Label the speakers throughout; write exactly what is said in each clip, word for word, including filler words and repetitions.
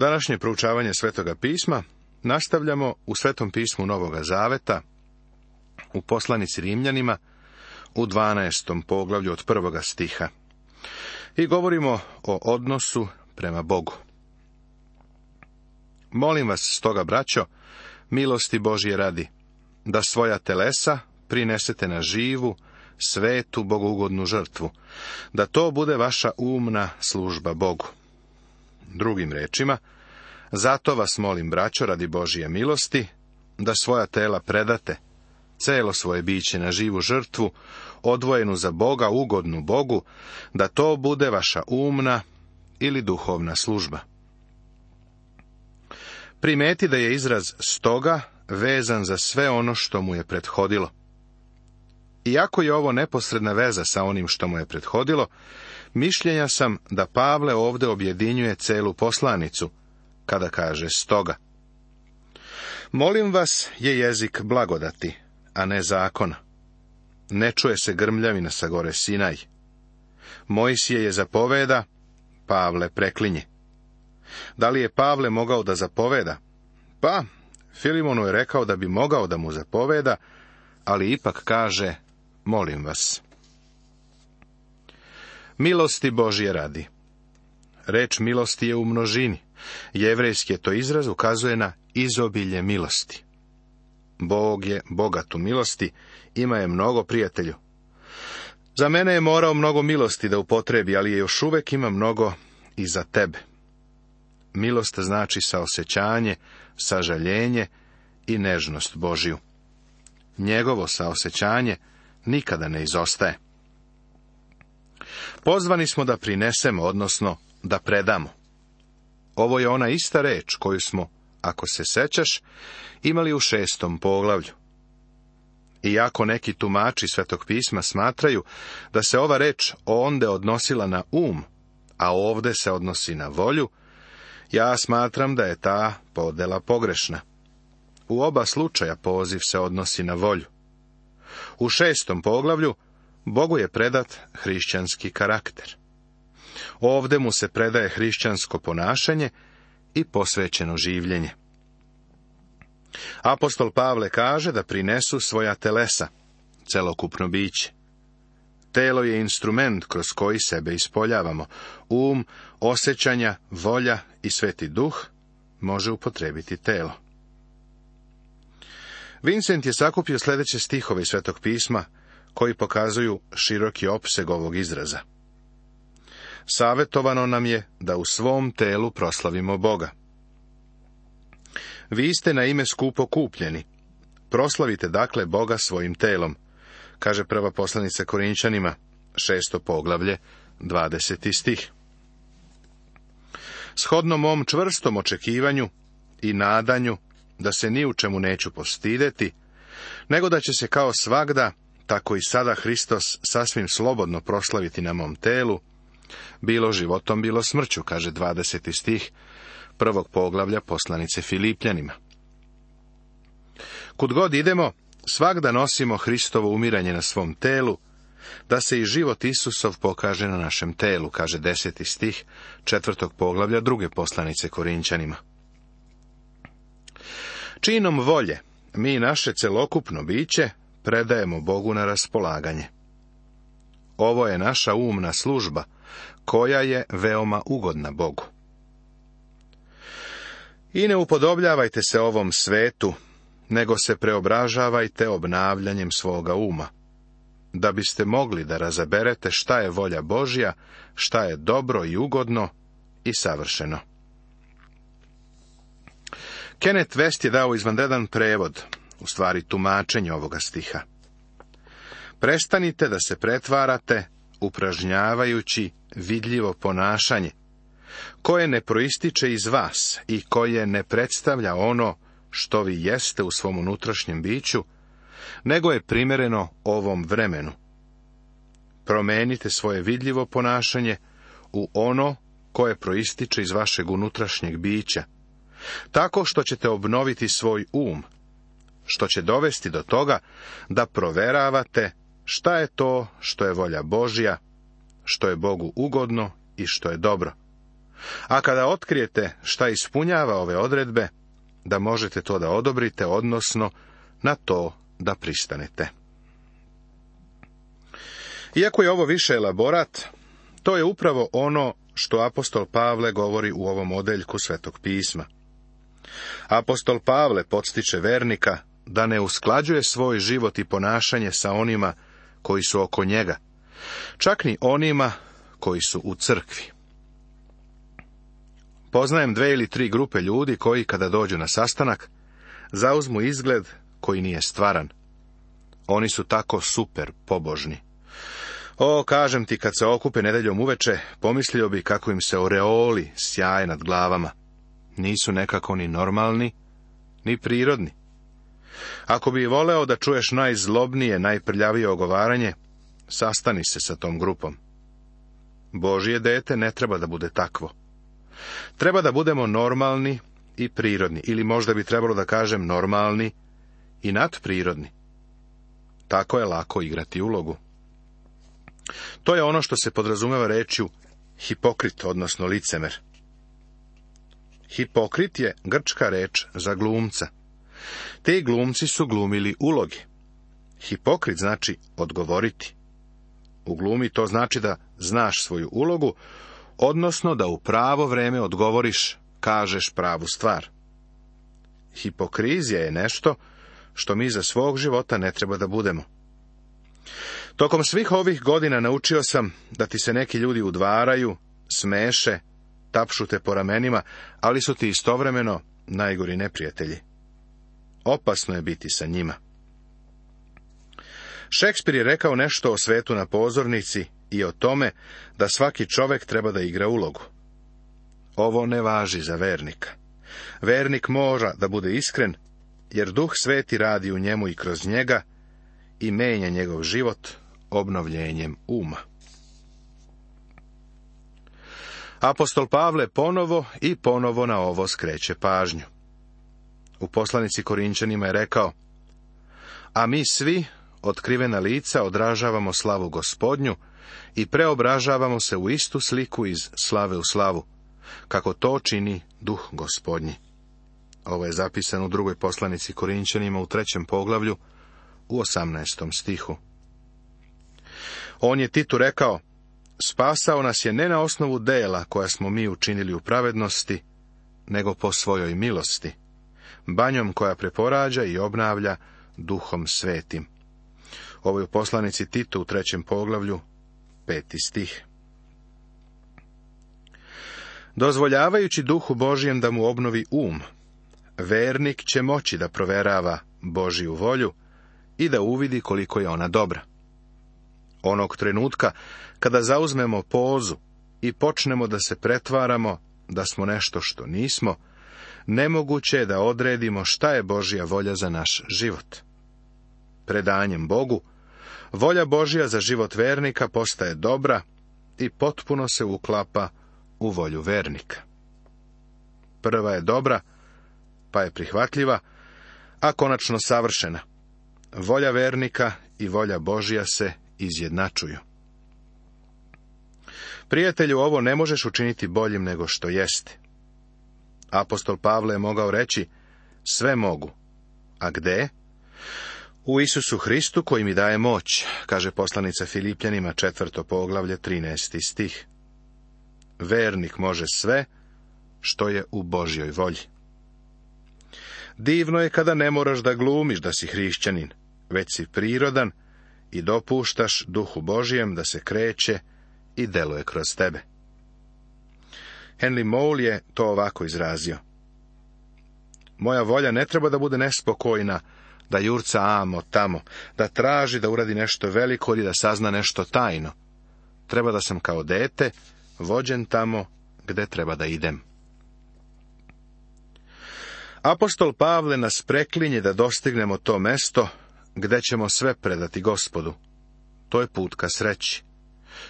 Speaker 1: Današnje proučavanje Svetoga pisma nastavljamo u Svetom pismu Novoga Zaveta, u poslanici Rimljanima, u dvanaestom poglavlju od prvoga stiha. I govorimo o odnosu prema Bogu. Molim vas stoga, braćo, milosti Božje radi, da svoja telesa prinesete na živu, svetu, bogougodnu žrtvu, da to bude vaša umna služba Bogu. Drugim rečima, zato vas molim, braćo, radi Božje milosti, da svoja tela predate, celo svoje biće na živu žrtvu, odvojenu za Boga, ugodnu Bogu, da to bude vaša umna ili duhovna služba. Primeti da je izraz stoga vezan za sve ono što mu je prethodilo. Iako je ovo neposredna veza sa onim što mu je prethodilo, mišljenja sam da Pavle ovdje objedinjuje celu poslanicu, kada kaže stoga. Molim vas je jezik blagodati, a ne zakona. Ne čuje se grmljavina sa gore Sinaj. Mojsije je zapoveda, Pavle preklinje. Da li je Pavle mogao da zapoveda? Pa, Filimonu je rekao da bi mogao da mu zapoveda, ali ipak kaže, molim vas. Milosti Božje radi. Reč milosti je u množini. Jevrejski je to izraz, ukazuje na izobilje milosti. Bog je bogat u milosti, ima je mnogo prijatelju. Za mene je morao mnogo milosti da upotrebi, ali je još uvek ima mnogo i za tebe. Milost znači saosećanje, sažaljenje i nežnost Božju. Njegovo saosećanje nikada ne izostaje. Pozvani smo da prinesemo, odnosno da predamo. Ovo je ona ista reč koju smo, ako se sećaš, imali u šestom poglavlju. Iako neki tumači Svetog pisma smatraju da se ova reč onde odnosila na um, a ovde se odnosi na volju, ja smatram da je ta podela pogrešna. U oba slučaja poziv se odnosi na volju. U šestom poglavlju Bogu je predat hrišćanski karakter. Ovde mu se predaje hrišćansko ponašanje i posvećeno življenje. Apostol Pavle kaže da prinesu svoja telesa, celokupno biće. Telo je instrument kroz koji sebe ispoljavamo. Um, osjećanja, volja i Sveti Duh može upotrebiti telo. Vincent je sakupio sljedeće stihove iz Svetog pisma, koji pokazuju široki opseg ovog izraza. Savetovano nam je da u svom telu proslavimo Boga. Vi ste na ime skupo kupljeni. Proslavite dakle Boga svojim telom, kaže prva poslanica Korinčanima, šesto poglavlje, dvadeseti stih. Shodno mom čvrstom očekivanju i nadanju da se ni u čemu neću postideti, nego da će se kao svagda, tako i sada Hristos sasvim slobodno proslaviti na mom telu, bilo životom, bilo smrću, kaže dvadeseti stih prvog poglavlja poslanice Filipljanima. Kud god idemo, svagda nosimo Hristovo umiranje na svom telu, da se i život Isusov pokaže na našem telu, kaže deseti stih četvrtog poglavlja druge poslanice Korinčanima. Činom volje mi naše celokupno biće predajemo Bogu na raspolaganje. Ovo je naša umna služba, koja je veoma ugodna Bogu. I ne upodobljavajte se ovom svetu, nego se preobražavajte obnavljanjem svoga uma, da biste mogli da razaberete šta je volja Božja, šta je dobro i ugodno i savršeno. Kenneth West je dao izvanredan prevod, u stvari tumačenje ovoga stiha. Prestanite da se pretvarate, upražnjavajući vidljivo ponašanje, koje ne proističe iz vas i koje ne predstavlja ono što vi jeste u svom unutrašnjem biću, nego je primjereno ovom vremenu. Promenite svoje vidljivo ponašanje u ono koje proističe iz vašeg unutrašnjeg bića, tako što ćete obnoviti svoj um, što će dovesti do toga da proveravate šta je to što je volja Božja, što je Bogu ugodno i što je dobro. A kada otkrijete šta ispunjava ove odredbe, da možete to da odobrite, odnosno na to da pristanete. Iako je ovo više elaborat, to je upravo ono što apostol Pavle govori u ovom odeljku Svetog pisma. Apostol Pavle podstiče vernika da ne usklađuje svoj život i ponašanje sa onima koji su oko njega, čak ni onima koji su u crkvi. Poznajem dve ili tri grupe ljudi koji, kada dođu na sastanak, zauzmu izgled koji nije stvaran. Oni su tako super pobožni. O, kažem ti, kad se okupe nedeljom uveče, pomislio bi kako im se oreoli sjaje nad glavama. Nisu nekako ni normalni, ni prirodni. Ako bi voleo da čuješ najzlobnije, najprljavije ogovaranje, sastani se sa tom grupom. Božje dete ne treba da bude takvo. Treba da budemo normalni i prirodni, ili možda bi trebalo da kažem normalni i nadprirodni. Tako je lako igrati ulogu. To je ono što se podrazumeva rečju hipokrit, odnosno licemer. Hipokrit je grčka reč za glumca. Te glumci su glumili uloge. Hipokrit znači odgovoriti. U glumi to znači da znaš svoju ulogu, odnosno da u pravo vreme odgovoriš, kažeš pravu stvar. Hipokrizija je nešto što mi za svog života ne treba da budemo. Tokom svih ovih godina naučio sam da ti se neki ljudi udvaraju, smeše, tapšu te po ramenima, ali su ti istovremeno najgori neprijatelji. Opasno je biti sa njima. Šekspir je rekao nešto o svetu na pozornici i o tome da svaki čovek treba da igra ulogu. Ovo ne važi za vernika. Vernik mora da bude iskren, jer Duh Sveti radi u njemu i kroz njega i menja njegov život obnovljenjem uma. Apostol Pavle ponovo i ponovo na ovo skreće pažnju. U poslanici Korinćanima je rekao: a mi svi, otkrivena lica, odražavamo slavu Gospodnju i preobražavamo se u istu sliku iz slave u slavu, kako to čini Duh Gospodnji. Ovo je zapisano u drugoj poslanici Korinćanima u trećem poglavlju, u osamnaestom stihu. On je Titu rekao: spasao nas je ne na osnovu dela koja smo mi učinili u pravednosti, nego po svojoj milosti, banjom koja preporađa i obnavlja Duhom Svetim. Ovo je u poslanici Titu u trećem poglavlju, peti stih. Dozvoljavajući Duhu Božijem da mu obnovi um, vernik će moći da proverava Božiju volju i da uvidi koliko je ona dobra. Onog trenutka kada zauzmemo pozu i počnemo da se pretvaramo da smo nešto što nismo, nemoguće je da odredimo šta je Božja volja za naš život. Predanjem Bogu, volja Božja za život vernika postaje dobra i potpuno se uklapa u volju vernika. Prva je dobra, pa je prihvatljiva, a konačno savršena. Volja vernika i volja Božja se izjednačuju. Prijatelju, ovo ne možeš učiniti boljim nego što jeste. Apostol Pavle je mogao reći: sve mogu. A gde? U Isusu Hristu koji mi daje moć, kaže poslanica Filipljanima četvrto poglavlje trinaesti stih. Vernik može sve što je u Božjoj volji. Divno je kada ne moraš da glumiš da si hrišćanin, već si prirodan i dopuštaš Duhu Božijem da se kreće i deluje kroz tebe. Henry Moule je to ovako izrazio: moja volja ne treba da bude nespokojna, da jurca amo tamo, da traži da uradi nešto veliko ili da sazna nešto tajno. Treba da sam kao dete vođen tamo gde treba da idem. Apostol Pavle nas preklinje da dostignemo to mesto gde ćemo sve predati Gospodu. To je put ka sreći.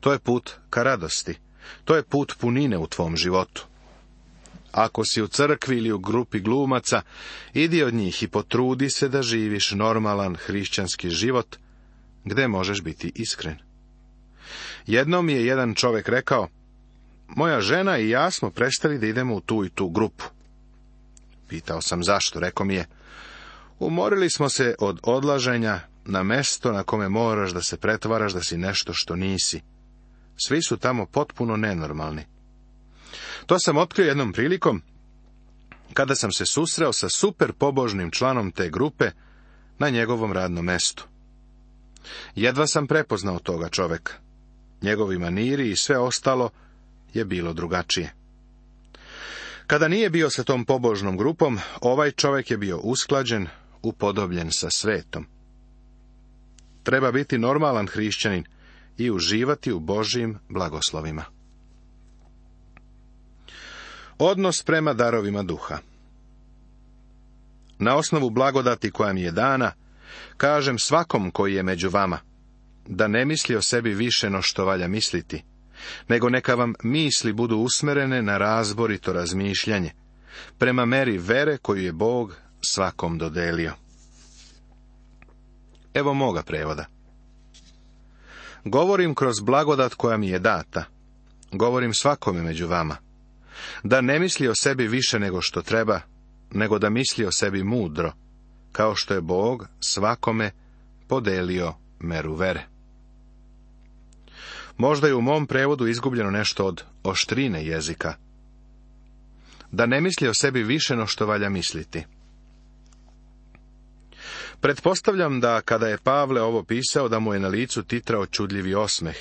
Speaker 1: To je put ka radosti. To je put punine u tvom životu. Ako si u crkvi ili u grupi glumaca, idi od njih i potrudi se da živiš normalan hrišćanski život, gde možeš biti iskren. Jednom mi je jedan čovjek rekao: moja žena i ja smo prestali da idemo u tu i tu grupu. Pitao sam zašto, rekao mi je, umorili smo se od odlaženja na mesto na kome moraš da se pretvaraš da si nešto što nisi. Svi su tamo potpuno nenormalni. To sam otkrio jednom prilikom, kada sam se susreo sa super pobožnim članom te grupe na njegovom radnom mestu. Jedva sam prepoznao toga čoveka. Njegovi maniri i sve ostalo je bilo drugačije. Kada nije bio sa tom pobožnom grupom, ovaj čovjek je bio usklađen, upodobljen sa svetom. Treba biti normalan hrišćanin i uživati u Božjim blagoslovima. Odnos prema darovima duha. Na osnovu blagodati koja mi je dana, kažem svakom koji je među vama, da ne misli o sebi više no što valja misliti, nego neka vam misli budu usmerene na razborito razmišljanje, prema meri vere koju je Bog svakom dodelio. Evo moga prevoda. Govorim kroz blagodat koja mi je data, govorim svakome među vama, da ne misli o sebi više nego što treba, nego da misli o sebi mudro, kao što je Bog svakome podelio meru vere. Možda je u mom prevodu izgubljeno nešto od oštrine jezika. Da ne misli o sebi više no što valja misliti. Pretpostavljam da kada je Pavle ovo pisao, da mu je na licu titrao čudljivi osmeh,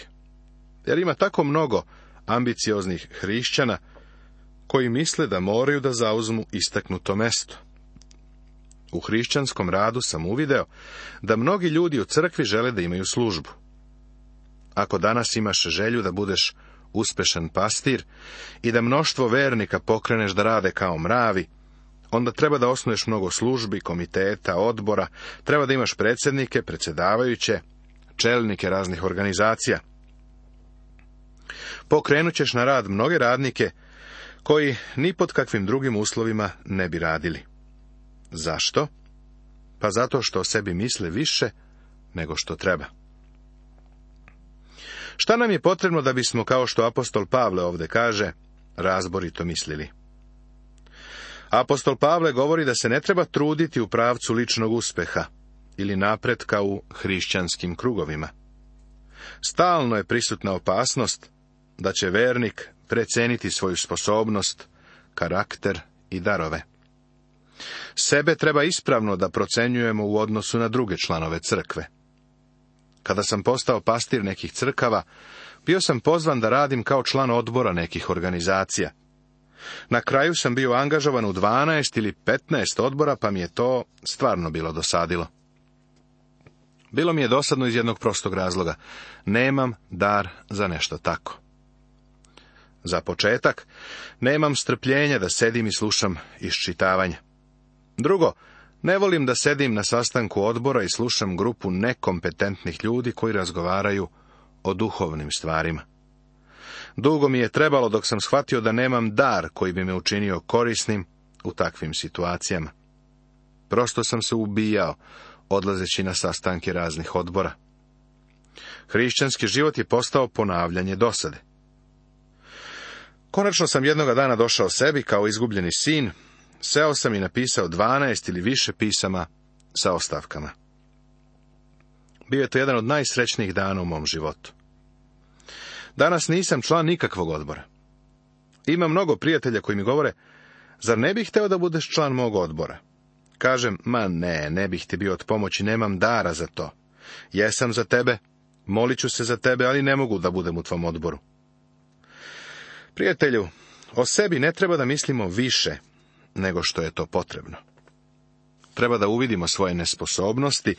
Speaker 1: jer ima tako mnogo ambicioznih hrišćana koji misle da moraju da zauzmu istaknuto mesto. U hrišćanskom radu sam uvideo da mnogi ljudi u crkvi žele da imaju službu. Ako danas imaš želju da budeš uspešan pastir i da mnoštvo vernika pokreneš da rade kao mravi, onda treba da osnuješ mnogo službi, komiteta, odbora, treba da imaš predsjednike, predsjedavajuće, čelnike raznih organizacija. Pokrenut ćeš na rad mnoge radnike koji ni pod kakvim drugim uslovima ne bi radili. Zašto? Pa zato što o sebi misle više nego što treba. Šta nam je potrebno da bismo, kao što apostol Pavle ovdje kaže, razborito mislili? Apostol Pavle govori da se ne treba truditi u pravcu ličnog uspeha ili napretka u hrišćanskim krugovima. Stalno je prisutna opasnost da će vernik preceniti svoju sposobnost, karakter i darove. Sebe treba ispravno da procenjujemo u odnosu na druge članove crkve. Kada sam postao pastir nekih crkava, bio sam pozvan da radim kao član odbora nekih organizacija. Na kraju sam bio angažovan u dvanaest ili petnaest odbora, pa mi je to stvarno bilo dosadilo. Bilo mi je dosadno iz jednog prostog razloga. Nemam dar za nešto tako. Za početak, nemam strpljenja da sedim i slušam iščitavanje. Drugo, ne volim da sedim na sastanku odbora i slušam grupu nekompetentnih ljudi koji razgovaraju o duhovnim stvarima. Dugo mi je trebalo dok sam shvatio da nemam dar koji bi me učinio korisnim u takvim situacijama. Prosto sam se ubijao, odlazeći na sastanke raznih odbora. Hrišćanski život je postao ponavljanje dosade. Konačno sam jednoga dana došao sebi kao izgubljeni sin, seo sam i napisao dvanaest ili više pisama sa ostavkama. Bio je to jedan od najsrećnijih dana u mom životu. Danas nisam član nikakvog odbora. Ima mnogo prijatelja koji mi govore, zar ne bih hteo da budeš član mog odbora? Kažem, ma ne, ne bih ti bio od pomoći, nemam dara za to. Jesam za tebe, molit ću se za tebe, ali ne mogu da budem u tvom odboru. Prijatelju, o sebi ne treba da mislimo više nego što je to potrebno. Treba da uvidimo svoje nesposobnosti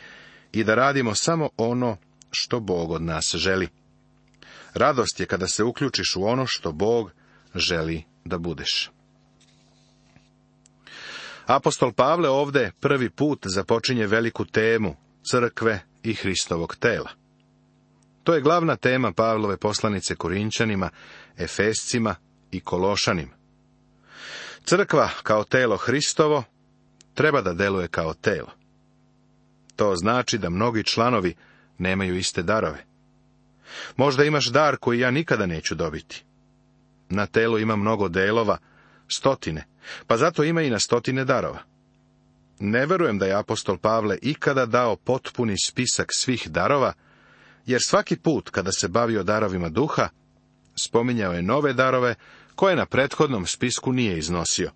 Speaker 1: i da radimo samo ono što Bog od nas želi. Radost je kada se uključiš u ono što Bog želi da budeš. Apostol Pavle ovdje prvi put započinje veliku temu crkve i Hristovog tela. To je glavna tema Pavlove poslanice Korinčanima, Efescima i Kološanima. Crkva kao telo Hristovo treba da deluje kao telo. To znači da mnogi članovi nemaju iste darove. Možda imaš dar koji ja nikada neću dobiti. Na telu ima mnogo delova, stotine, pa zato ima i na stotine darova. Ne verujem da je apostol Pavle ikada dao potpuni spisak svih darova, jer svaki put kada se bavio darovima duha, spominjao je nove darove koje na prethodnom spisku nije iznosio.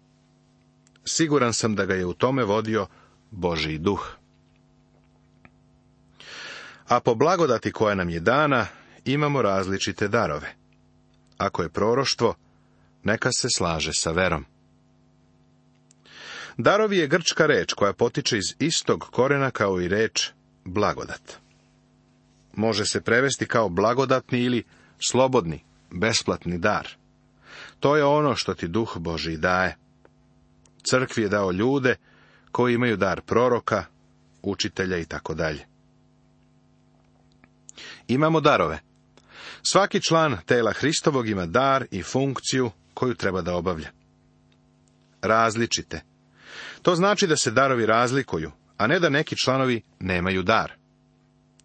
Speaker 1: Siguran sam da ga je u tome vodio Božji duh. A po blagodati koja nam je dana, imamo različite darove. Ako je proroštvo, neka se slaže sa verom. Darovi je grčka reč koja potiče iz istog korena kao i reč blagodat. Može se prevesti kao blagodatni ili slobodni, besplatni dar. To je ono što ti Duh Božji daje. Crkvi je dao ljude koji imaju dar proroka, učitelja i tako dalje. Imamo darove. Svaki član tela Hristovog ima dar i funkciju koju treba da obavlja. Različite. To znači da se darovi razlikuju, a ne da neki članovi nemaju dar.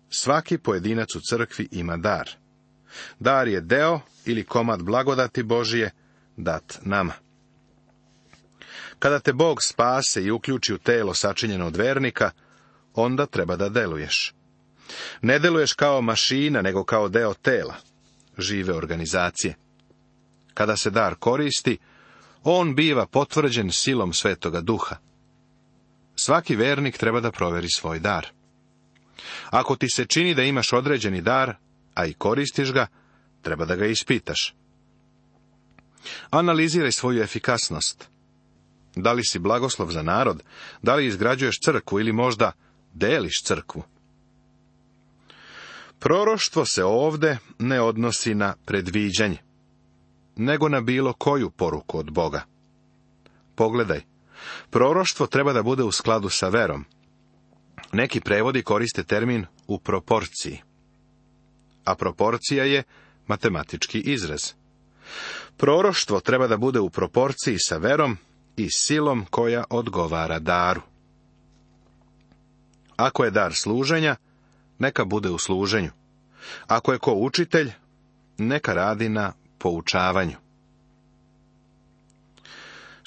Speaker 1: Svaki pojedinac u crkvi ima dar. Dar je deo ili komad blagodati Božije dat nama. Kada te Bog spase i uključi u telo sačinjeno od vernika, onda treba da deluješ. Ne deluješ kao mašina, nego kao deo tela, žive organizacije. Kada se dar koristi, on biva potvrđen silom Svetoga Duha. Svaki vernik treba da proveri svoj dar. Ako ti se čini da imaš određeni dar, a i koristiš ga, treba da ga ispitaš. Analiziraj svoju efikasnost. Da li si blagoslov za narod, da li izgrađuješ crkvu ili možda deliš crkvu. Proroštvo se ovde ne odnosi na predviđanje, nego na bilo koju poruku od Boga. Pogledaj, proroštvo treba da bude u skladu sa verom. Neki prevodi koriste termin u proporciji. A proporcija je matematički izraz. Proroštvo treba da bude u proporciji sa verom i silom koja odgovara daru. Ako je dar služenja, neka bude u služenju. Ako je ko učitelj, neka radi na poučavanju.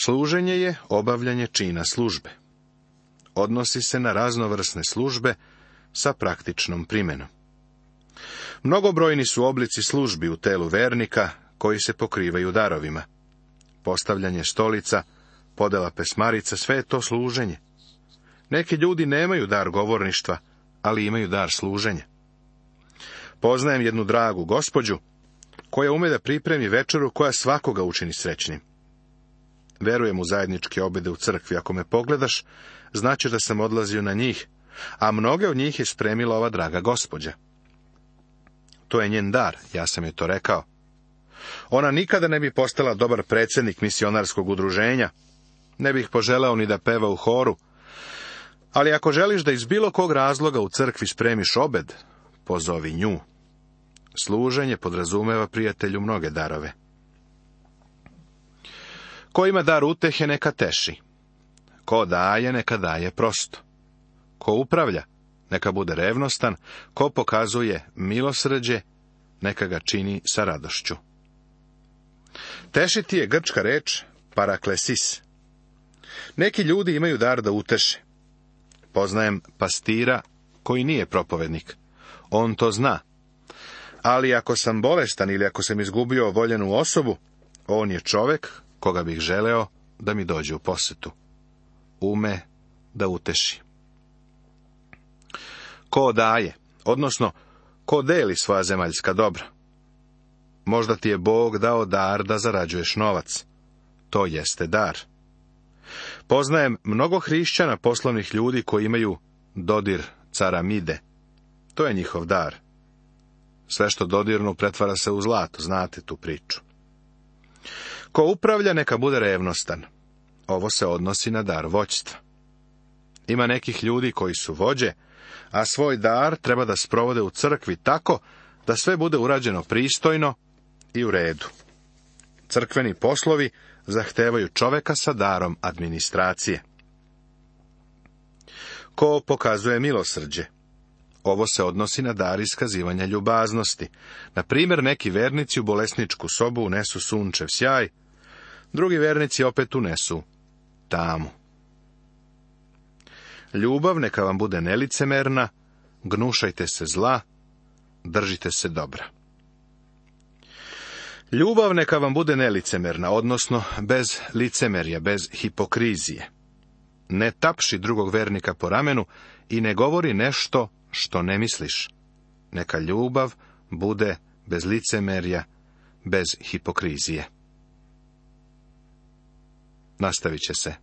Speaker 1: Služenje je obavljanje čina službe. Odnosi se na raznovrsne službe sa praktičnom primenom. Mnogobrojni su oblici službi u telu vernika koji se pokrivaju darovima. Postavljanje stolica, podela pesmarica, sve je to služenje. Neki ljudi nemaju dar govorništva, ali imaju dar služenja. Poznajem jednu dragu gospođu, koja ume da pripremi večeru koja svakoga učini srećnim. Verujem u zajedničke obede u crkvi. Ako me pogledaš, znaćeš da sam odlazio na njih, a mnoge od njih je spremila ova draga gospođa. To je njen dar, ja sam joj to rekao. Ona nikada ne bi postala dobar predsjednik misionarskog udruženja, ne bih poželeo ni da peva u horu, ali ako želiš da iz bilo kog razloga u crkvi spremiš obed, pozovi nju. Služenje podrazumeva, prijatelju, mnoge darove. Ko ima dar utehe, neka teši. Ko daje, neka daje prosto. Ko upravlja, neka bude revnostan. Ko pokazuje milosrđe, neka ga čini sa radošću. Tešiti je grčka reč paraklesis. Neki ljudi imaju dar da uteše. Poznajem pastira koji nije propovednik. On to zna. Ali ako sam bolestan ili ako sam izgubio voljenu osobu, on je čovek koga bih želeo da mi dođe u posetu. Ume da uteši. Ko daje, odnosno ko deli svoja zemaljska dobra. Možda ti je Bog dao dar da zarađuješ novac. To jeste dar. Poznajem mnogo hrišćana, poslovnih ljudi koji imaju dodir caramide. To je njihov dar. Sve što dodirnu pretvara se u zlato, znate tu priču. Ko upravlja, neka bude revnostan. Ovo se odnosi na dar vođstva. Ima nekih ljudi koji su vođe, a svoj dar treba da sprovode u crkvi tako da sve bude urađeno pristojno i u redu. Crkveni poslovi zahtevaju čoveka sa darom administracije. Ko pokazuje milosrđe? Ovo se odnosi na dar iskazivanja ljubaznosti. Na primjer, neki vernici u bolesničku sobu unesu sunčev sjaj, drugi vernici opet unesu tamu. Ljubav neka vam bude nelicemerna, gnušajte se zla, držite se dobra. Ljubav neka vam bude nelicemerna, odnosno bez licemerja, bez hipokrizije. Ne tapši drugog vernika po ramenu i ne govori nešto što ne misliš. Neka ljubav bude bez licemerja, bez hipokrizije. Nastavit će se